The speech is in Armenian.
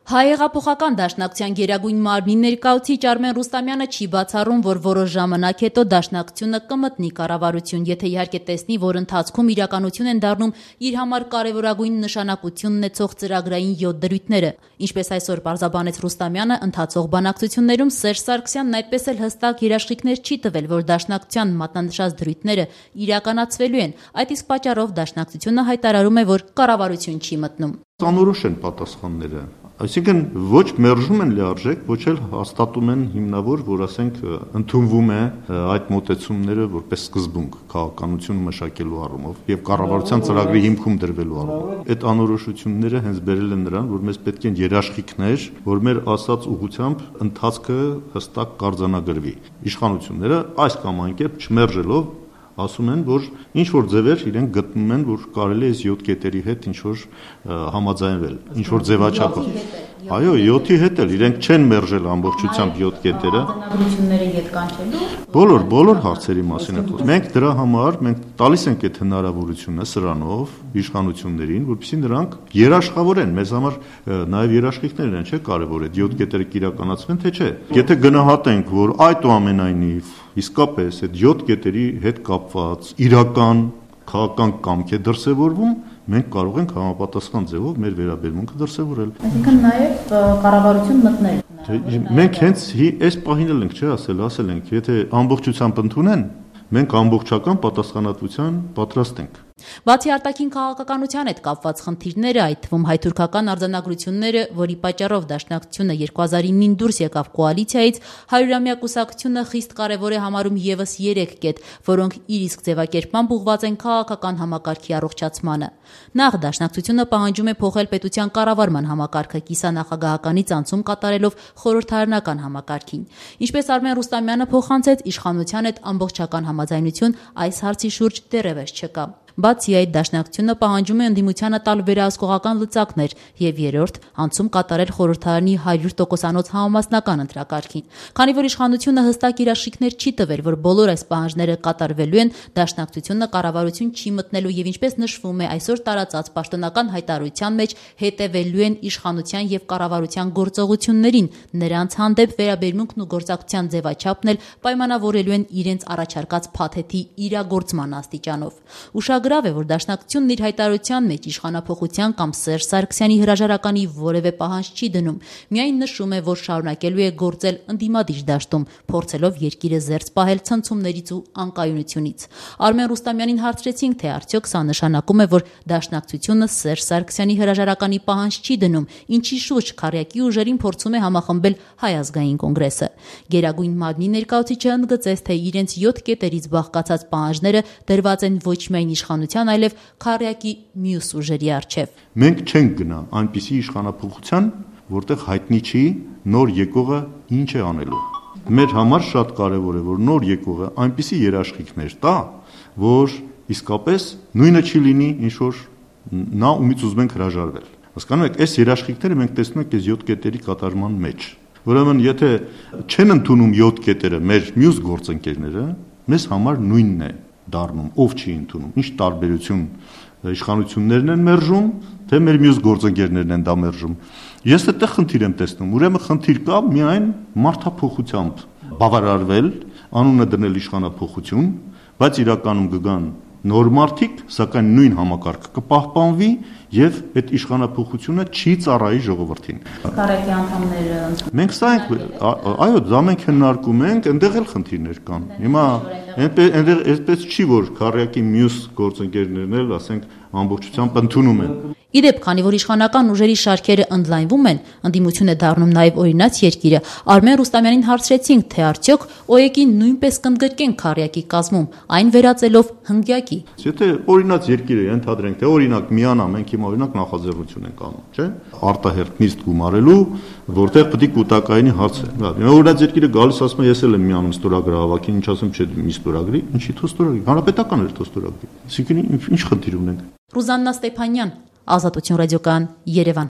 Հայեղափոխական դաշնակցության գերագույն մարմնի ներկայացուցիչ Արմեն Ռուստամյանը չի բացառում, որ որոշ ժամանակ հետո դաշնակցությունը կմտնի կառավարություն, եթե իհարկե տեսնի, որ ընթացքում իրականություն են դառնում իր համար կարևորագույն նշանակություն ունեցող ծրագրային 7 դրույթները։ Ինչպես այսօր պարզաբանեց Ռուստամյանը, ընթացող բանակցություններում Սերժ Սարգսյանն այդպես էլ հստակ երաշխիքներ չի տվել, որ դաշնակցության մատնանշած դրույթները իրականացվելու են։ Այդ իսկ պատճառով դաշնակցությունը հայտարարում է, որ կառավարություն չի մտնում։ Անորոշ են պատասխանները, այսինքն ոչ մերժում են լիարժեք, ոչ էլ հաստատում են հիմնավոր, որ ասենք ընդունվում է այդ մոտեցումները որպես սկզբունք քաղաքականություն մշակելու առումով եւ կառավարության ծրագրի հիմքում դրվելու առումով։ Այդ անորոշությունները հենց բերել են նրան, որ մեզ պետք են երաշխիքներ, որ մեր ասած ուղղությամբ ընթացքը հստակ կարձանագրվի։ Իշխանությունները այս կամ այն կերպ չմերժելով ասում են, որ ինչ-որ ձևեր իրենք գտնում են, որ կարելի է 7 կետերի հետ ինչ-որ համաձայնվել, ինչ-որ ձևաչափով։ Այո, 7-ի հետ էլ իրենք չեն մերժել ամբողջությամբ 7 կետերը։ Բոլոր հարցերի մասին է խոսքը։ Մենք դրա համար տալիս ենք այդ հնարավորությունը սրանով իշխանություններին, որպեսզի նրանք երաշխավորեն, մեզ համար նաև երաշխիքներն են, չէ՞, կարևոր է 7 կետերը կիրականացվեն, թե չէ։ Եթե գնահատենք, որ այդուամենայնիվ իսկապես այդ 7 կետերի հետ կապված իրական քաղաքական կամք է դրսևորվում, մենք կարող ենք համապատասխան ձևով մեր վերաբերմունքը դրսևորել։ Այսինքն նաև կառավարություն մտնել։ Մենք հենց այս պահին էլ ենք ասել ենք, եթե ամբողջությամբ ընդունեն, մենք ամբողջական պատասխանատվության պատրաստ ենք։ Բացի արտաքին քաղաքականության հետ կապված խնդիրները, այդ թվում հայ-թուրքական արձանագրությունները, որի պատճառով դաշնակցությունը 2009-ին դուրս եկավ կոալիցիայից, 100-ամյա կուսակցությունը խիստ կարևոր է համարում ևս 3 կետ, որոնք իր իսկ ձևակերպմամբ ուղղված են քաղաքական համակարգի առողջացմանը։ Նախ դաշնակցությունը պահանջում է փոխել պետության կառավարման համակարգը կիսանախագահականից անցում կատարելով խորհրդարանական համակարգին։ Ինչպես Արմեն Ռուստամյանը փոխանցեց, իշխանության հետ ամբողջական համաձայնություն այս հարցի շուրջ դեռևս չկա։ Բացի այդ, դաշնակցությունը պահանջում է ընդդիմությանը տալ վերահսկողական լծակներ եւ երրորդ անցում կատարել խորհրդարանի 100%-անոց համամասնական ընտրակարգին։ Քանի որ իշխանությունը հստակ երաշխիքներ չի տվել, որ բոլոր այս պահանջները կատարվելու են, դաշնակցությունը կառավարություն չի մտնելու եւ ինչպես նշվում է այսօր տարածած պաշտոնական հայտարարության մեջ, հետևելու են իշխանության եւ կառավարության գործողություններին, նրանց հանդեպ վերաբերմունքն ու գործակցության ձևաչափն էլ պայմանավորելու են իրենց առաջարկած փաթեթի իրագործման աստիճանով։ Ուշագրավ է, որ դաշնակցությունն իր հայտարարության մեջ իշխանափոխության կամ Սերժ Սարգսյանի հրաժարականի որևէ պահանջ չի դնում, միայն նշում է, որ շարունակելու է գործել ընդդիմադիր դաշտում, փորձելով երկիրը զերծ պահել ցնցումներից ու անկայունությունից։ Արմեն Ռուստամյանին հարցրեցինք, թե արդյոք սա նշանակում է, որ դաշնակցությունը Սերժ Սարգսյանի հրաժարականի պահանջ չի դնում, ինչի շուրջ քարյակի ուժերին փորձում է համախմբել Հայ ազգային կոնգրեսը։ Գերագույն մարմնի ներկայացուցիչը ընդգծեց, թե իրենց 7 կետերից բաղկացած պահանջները դրված են ոչ միայն իշխանության, այլև քարյակի մյուս ուժերի առջև։ Մենք չենք գնա այնպիսի իշխանափոխության, որտեղ հայտնի չի նոր եկողը ինչ է անելու։ Մեր համար շատ կարևոր է, որ նոր եկողը այնպիսի երաշխիքներ տա, որ իսկապես նույնը չի լինի, ինչ որ նա ումից ուզում ենք հրաժարվել։ Հասկանում եք, այս երաշխիքները մենք տեսնում ենք այս 7 կետերի կատարման մեջ։ Ուրեմն, եթե չեն ընդունում 7 կետերը մեր մյուս գործընկերները, մեզ համար նույնն է դառնում, ով չի ընդունում, ինչ տարբերություն իշխանություններն են մերժում, թե մեր մյուս գործընկերներն են դա մերժում։ Ես այդտեղ խնդիր եմ տեսնում, ուրեմն խնդիր կա միայն մարդափոխությամբ բավարարվել, անունը դնել իշխանափոխություն, բայց իրականում կգան նոր մարդիկ, սակայն նույն համակարգը կպահպանվի եւ այդ իշխանափոխությունը չի ծառայի ժողովրդին։ Քարյակի անդամները մենք սա ենք, այո, դա մենք քննարկում ենք, այնտեղ էլ խնդիրներ կան։ Հիմա այնպես չի, որ քարյակի մյուս գործընկերներն էլ, ասենք, ամբողջությամբ ընդունում են։ Իդեպ, քանի որ իշխանական ուժերի շարքերը ընդլայնվում են, ընդդիմություն է դառնում նաև օրինաց երկիրը, Արմեն Ռուստամյանին հարցրեցինք, թե արդյոք ՕԵԿ-ին նույնպես կընդգրկեն քարյակի կազմում, այն վերածելով հնգյակի։ Եթե օրինաց երկիրը ենթադրենք, թե օրինակ միանա, մենք հիմա օրինակ նախաձեռնություն ենք անում, չէ՞, արտահերթ նիստ գումարելու, որտեղ պետք է կൂട്ടակայինի հարց է։ Հիմա օրինաց երկիրը գալիս ասում է, ես էլ եմ միանում ստորագրահավաքին, ինչ ասեմ, չէ, մի ստորագրի, ինչի՞ թո ստորագրի, հանրապետական էր թո ստորագրի։ Այսինքն ինչ խնդիր ունենք։ Ռուզաննա Ստեփանյան, Ազատություն ռադիոկայան, Երևան։